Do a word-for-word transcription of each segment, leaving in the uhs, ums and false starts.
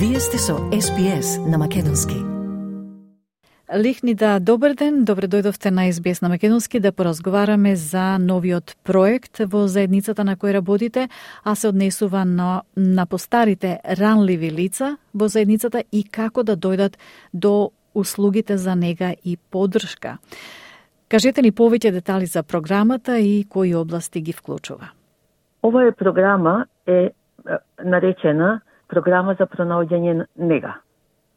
Вие сте со Ес Би Ес на македонски. Лихнида, добар ден, добре дојдовте на Ес Би Ес на македонски да поразговараме за новиот проект во заедницата на кој работите, а се однесува на, на постарите ранливи лица во заедницата и како да дојдат до услугите за нега и поддршка. Кажете ни повеќе детали за програмата и кои области ги вклучува. Оваа програма е наречена Програма за пронаоѓање нега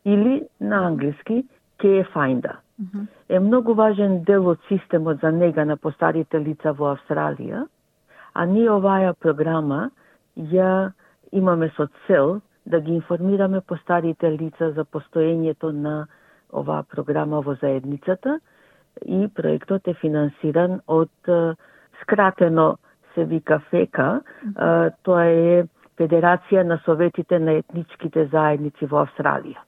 или на англиски Care Finder. Mm-hmm. Е многу важен дел од системот за нега на постарите лица во Австралија, а ние оваа програма ја имаме со цел да ги информираме постарите лица за постоењето на оваа програма во заедницата и проектот е финансиран од скратено се вика ФЕКА, mm-hmm. тоа е Федерација на советите на етничките заедници во Австралија.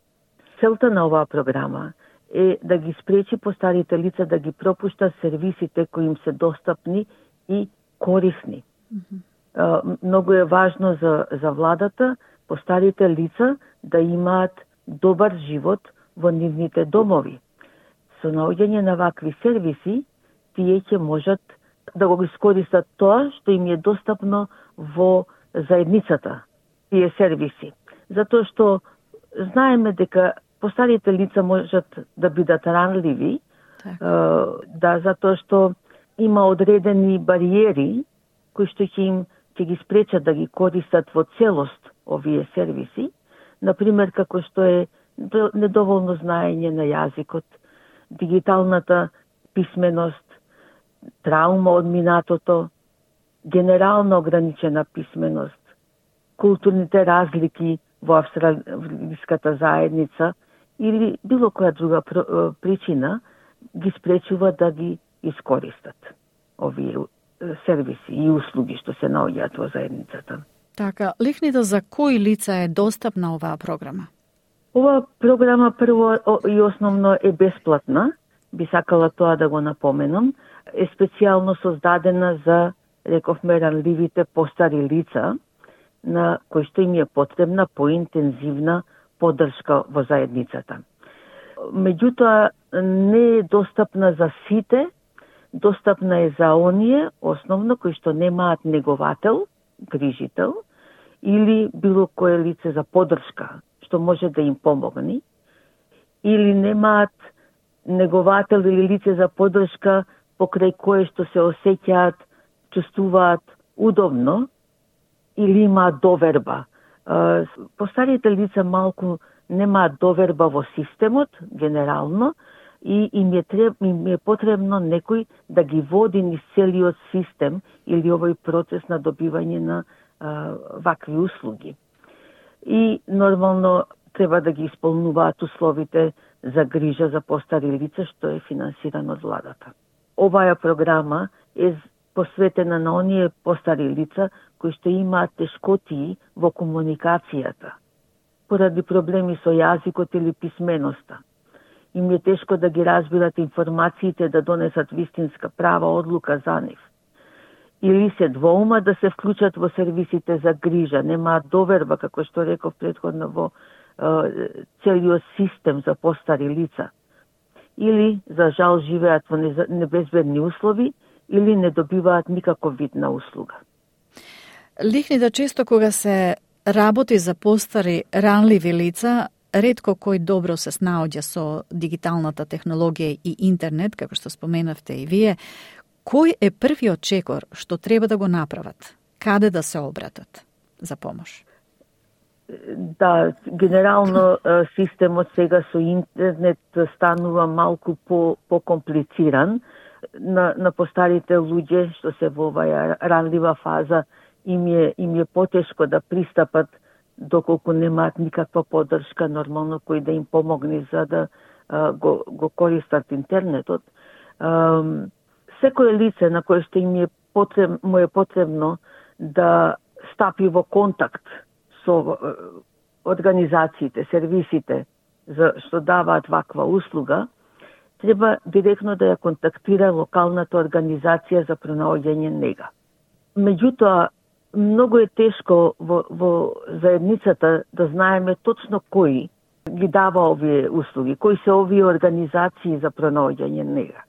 Целта на оваа програма е да ги спречи постарите лица да ги пропушта сервисите кои им се достапни и корисни. Mm-hmm. Многу е важно за, за владата постарите лица да имаат добар живот во нивните домови. Со наоѓање на вакви сервиси, тие ќе можат да го искористат тоа што им е достапно во заедницата, тие сервиси. Затоа што знаеме дека постарите лица можат да бидат ранливи, так. да, затоа што има одредени бариери кои што ќе им ќе ги спречат да ги користат во целост овие сервиси, например како што е недоволно знаење на јазикот, дигиталната писменост, траума од минатото, генерална ограничена писменост, културните разлики во австралиската заедница или било која друга причина ги спречува да ги искористат овие сервиси и услуги што се наоѓаат во заедницата. Така, лихнида за кои лица е достапна оваа програма? Оваа програма прво и основно е бесплатна, би сакала тоа да го напоменам, е специјално создадена за рековме ранливите постари лица, на кои што им е потребна поинтензивна поддршка во заедницата. Меѓутоа, не е достапна за сите, достапна е за оние, основно, кои што немаат неговател, грижител, или било кое лице за поддршка, што може да им помогне, или немаат неговател или лице за поддршка покрај кое што се осеќаат, чувствуваат удобно или имаат доверба. Постарите лица малку немаат доверба во системот, генерално, и им е, треб, им е потребно некој да ги води низ целиот систем или овој процес на добивање на а, вакви услуги. И нормално треба да ги исполнуваат условите за грижа за постари лица, што е финансирано од владата. Оваа програма е посветена на оние постари лица кои што имаат тешкотии во комуникацијата, поради проблеми со јазикот или писменоста. Им е тешко да ги разбират информациите, да донесат вистинска права одлука за нив. Или се двоума да се вклучат во сервисите за грижа, немаат доверба, како што реков претходно, во е, целиот систем за постари лица. Или, за жал, живеат во небезбедни услови, или не добиваат никаков вид на услуга. Лихнида, често кога се работи за постари ранливи лица, ретко кој добро се снаоѓа со дигиталната технологија и интернет, како што споменавте и вие. Кој е првиот чекор што треба да го направат? Каде да се обратат за помош? Да, генерално системот сега со интернет станува малку по покомплициран. На, на постарите луѓе што се во оваа ранлива фаза им е, им е потешко да пристапат доколку немаат никаква поддршка нормално кој да им помогне за да а, го, го користат интернетот. А, секое лице на кое што им е потреб, му е потребно да стапи во контакт со организациите, сервисите за што даваат ваква услуга, треба директно да ја контактира локалната организација за пронаоѓање нега. Меѓутоа, многу е тешко во, во заедницата да знаеме точно кои ги дава овие услуги, кои се овие организации за пронаоѓање нега.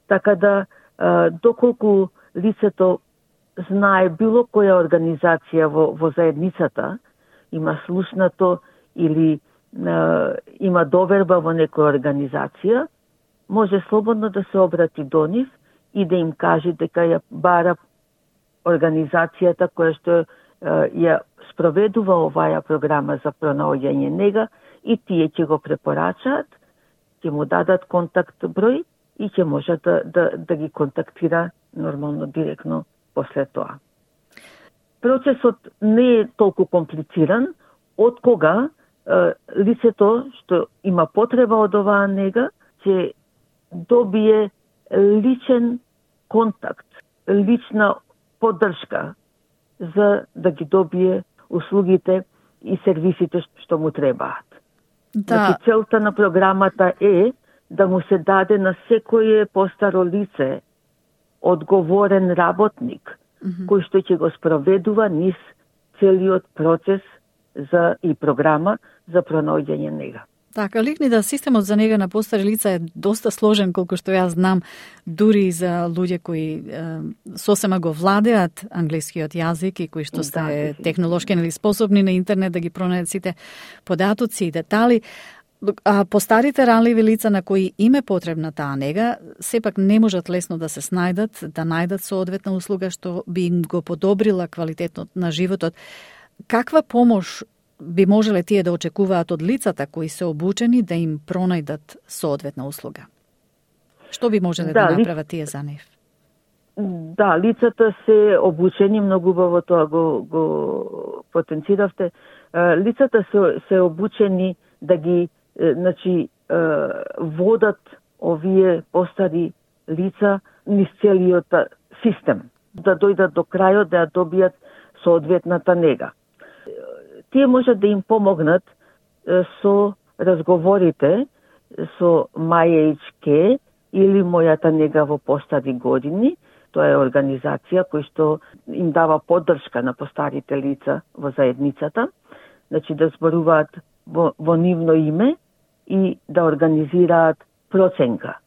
Така да, доколку лицето знае било која организација во, во заедницата, има слушнато или е, има доверба во некоја организација, може слободно да се обрати до нив и да им каже дека ја бара организацијата која што е, ја спроведува оваја програма за пронаоѓање нега и тие ќе го препорачаат, ќе му дадат контакт број и ќе може да, да, да ги контактира нормално директно после тоа. Процесот не е толку комплициран, од кога е, лицето што има потреба од оваа нега ќе добие личен контакт, лична поддршка за да ги добие услугите и сервисите што му требаат. Да. Значи, целта на програмата е да му се даде на секое постаро лице одговорен работник, mm-hmm. кој што ќе го спроведува низ целиот процес за и програма за пронаоѓање нега. Така, ликни да системот за нега на постари лица е доста сложен, колку што јас знам, дури и за луѓе кои е, сосема го владеат англискиот јазик и кои што сте да, технолошки или способни на интернет да ги пронајдат сите податоци и детали. А постарите ранливи лица на кои им е потребна таа нега, сепак не можат лесно да се снајдат, да најдат соодветна услуга што би им го подобрила квалитетот на животот. Каква помош би можеле тие да очекуваат од лицата кои се обучени да им пронајдат соодветна услуга? Што би можеле да, да направат ли... тие за нив? Да, лицата се обучени, многу убаво тоа го, го потенциравте. Лицата се, се обучени да ги значи, водат овие постари лица низ целиот систем, да дојдат до крајот, да ја добијат соодветната нега. Тие можат да им помогнат со разговорите со My Age Care или Мојата нега во постари години. Тоа е организација која што им дава поддршка на постарите лица во заедницата, значи да зборуваат во, во нивно име и да организираат проценка.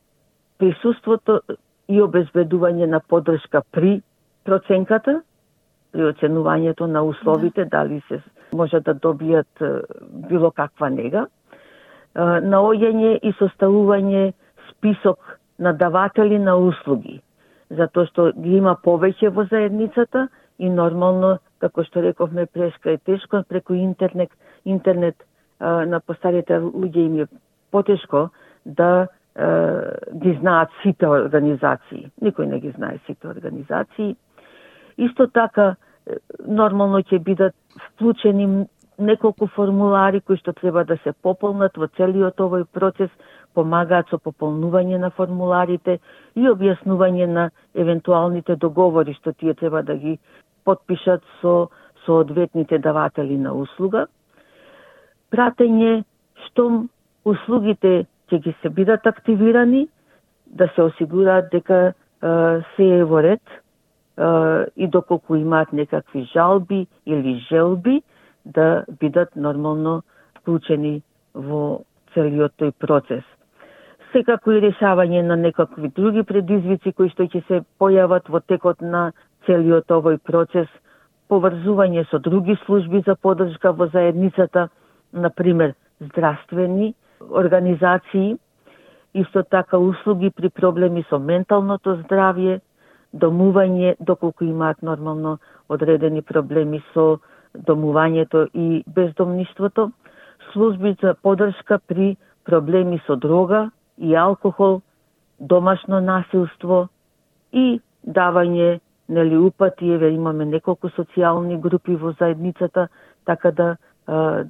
Присуството и обезбедување на поддршка при проценката, при оценувањето на условите, да. дали се може да добијат било каква нега, наоѓање и составување список на даватели на услуги, затоа што ги има повеќе во заедницата и нормално, како што рековме, преска е тешко преку интернет, интернет на постарите луѓе им е потешко да ги знаат сите организации. Никој не ги знае сите организации. Исто така, нормално ќе бидат вклучени неколку формулари кои што треба да се пополнат во целиот овој процес, помагаат со пополнување на формуларите и објаснување на евентуалните договори што тие треба да ги потпишат со соодветните даватели на услуга. Пратење штом услугите ќе ги се бидат активирани, да се осигураат дека е, се е во ред е, и доколку имаат некакви жалби или желби, да бидат нормално вклучени во целиот тој процес. Секако и решавање на некакви други предизвици кои што ќе се појават во текот на целиот овој процес, поврзување со други служби за поддршка во заедницата, например здравствени организации, исто така услуги при проблеми со менталното здравје, домување, доколку имаат нормално одредени проблеми со домувањето и бездомништвото, служби за поддршка при проблеми со дрога и алкохол, домашно насилство и давање, нели, упати, еве имаме неколку социјални групи во заедницата, така да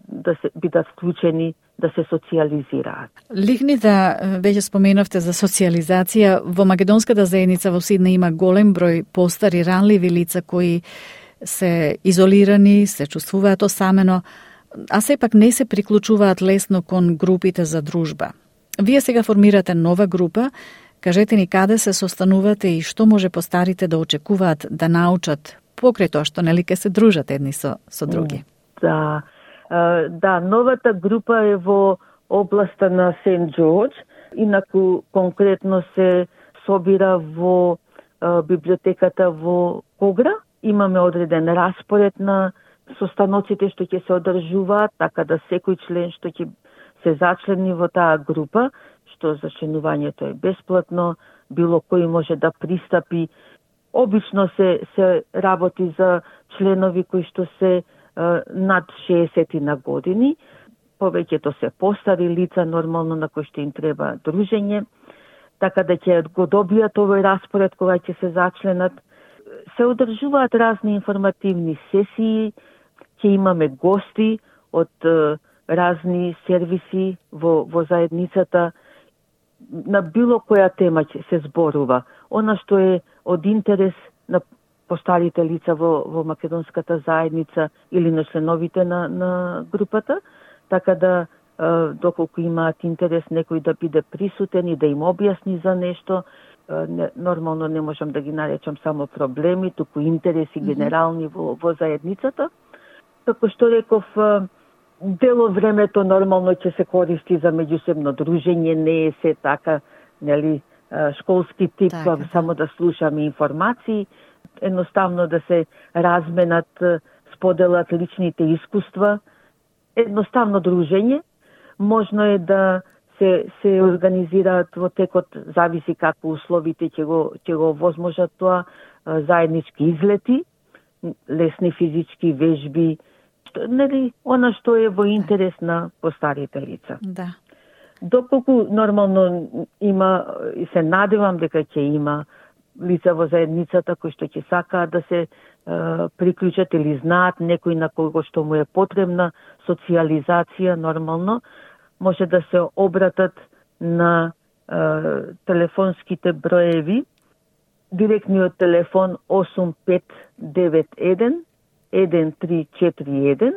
да се бидат вклучени, да се социјализираат. Ликни да веќе споменавте за социјализација. Во македонската заедница во Сиднеј има голем број постари ранливи лица кои се изолирани, се чувствуваат осамено, а сепак не се приклучуваат лесно кон групите за дружба. Вие сега формирате нова група. Кажете ни каде се состанувате и што може постарите да очекуваат да научат покрај тоа што нели ке се дружат едни со со други. Да. Да, новата група е во областа на Сент Џорџ, инаку конкретно се собира во библиотеката во Когра. Имаме одреден распоред на состаноците што ќе се одржуваат, така да секој член што ќе се зачлени во таа група, што зачленувањето е бесплатно, било кој може да пристапи. Обично се се работи за членови кои што се е, над шеесет на години, повеќето се постари лица, нормално на кои што им треба дружење, така да ќе го добијат овој распоред кога ќе се зачленат. Се одржуваат разни информативни сесии, ќе имаме гости од е, разни сервиси во, во заедницата, на било која тема ќе се зборува. Она што е од интерес на постарите лица во, во македонската заедница или на членовите на, на групата, така да е, доколку имаат интерес некој да биде присутен и да им објасни за нешто, е, не, нормално не можам да ги наречам само проблеми, туку интереси генерални во, во заедницата. Како што реков, дел од времето нормално ќе се користи за меѓусебно дружење, не е се така, нели, школски тип, така, само да слушаме информации, едноставно да се разменат, споделат личните искуства, едноставно дружење. Можно е да се се организираат во текот, зависи како условите ќе го ќе го возможат тоа, заеднички излети, лесни физички вежби, нели, она што е во интерес на постарите лица. Да. Доколку нормално има, и се надевам дека ќе има лица во заедницата кои што ќе сакаат да се е, приклучат или знаат некој на кого што му е потребна социализација, нормално може да се обратат на е, телефонските броеви, директниот телефон осум пет девет еден еден три четири еден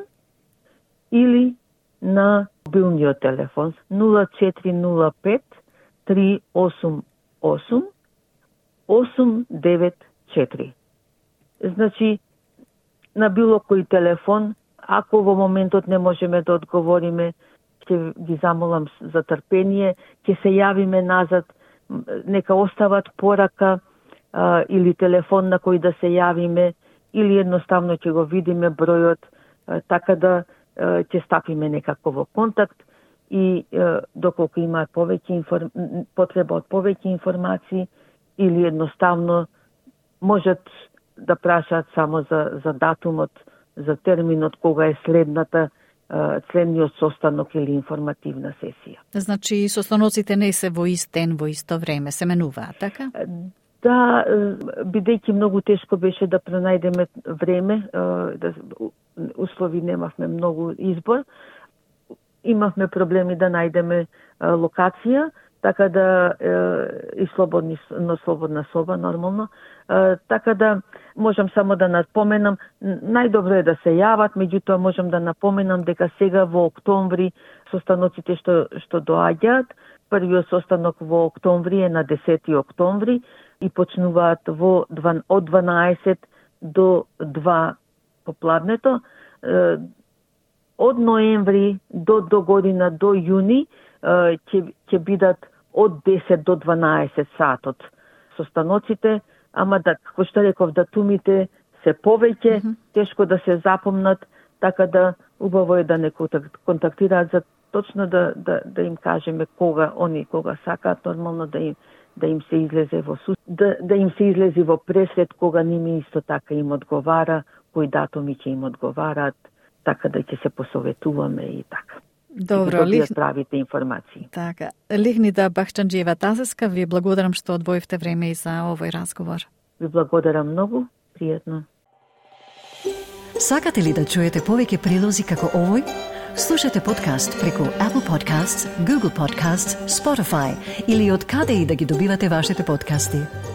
или на мобилниот телефон нула четири нула пет три осум осум осум девет четири. Значи, на било кој телефон, ако во моментот не можеме да одговориме, ќе ги замолам за трпение, ќе се јавиме назад, нека остават порака а, или телефон на кој да се јавиме, или едноставно ќе го видиме бројот, а, така да а, ќе стапиме некако во контакт и а, доколку имаат повеќе информ... потреба од повеќе информации, или едноставно можат да прашаат само за, за датумот, за терминот кога е следната следниот состанок или информативна сесија. Значи, состаноците не се во ист ден, во исто време, се менуваат, така? Да, бидејќи многу тешко беше да пронајдеме време, да, услови немавме многу избор, имавме проблеми да најдеме локација, така да е, и слободни, но слободна соба, нормално. Е, така да можам само да напоменам, најдобро е да се јават, меѓутоа можам да напоменам дека сега во октомври состаноците што, што доаѓаат, првиот состанок во октомври е на десети октомври и почнуваат во од дванаесет до два попладнето. Е, од ноември до, до година, до јуни, ќе ќе бидат од десет до дванаесет сатот состаноците, ама да, како што реков, датумите се повеќе, mm -hmm. тешко да се запомнат, така да убаво е да не контактираат за точно да, да, да им кажеме кога они кога сакаат, нормално да им да им се излезе во су... да, да им се излезе во пресред кога ними исто така им одговара, кои датуми ќе им одговараат, така да ќе се посоветуваме и така. Добро, лих... правите информации. Така. Лихнида Бахчанџиева Тазеска, ви благодарам што одвоивте време и за овој разговор. Ви благодарам многу, пријатно. Сакате ли да чуете повеќе прилози како овој? Слушате подкаст преку Apple Podcasts, Google Podcasts, Spotify или од каде и да ги добивате вашите подкасти.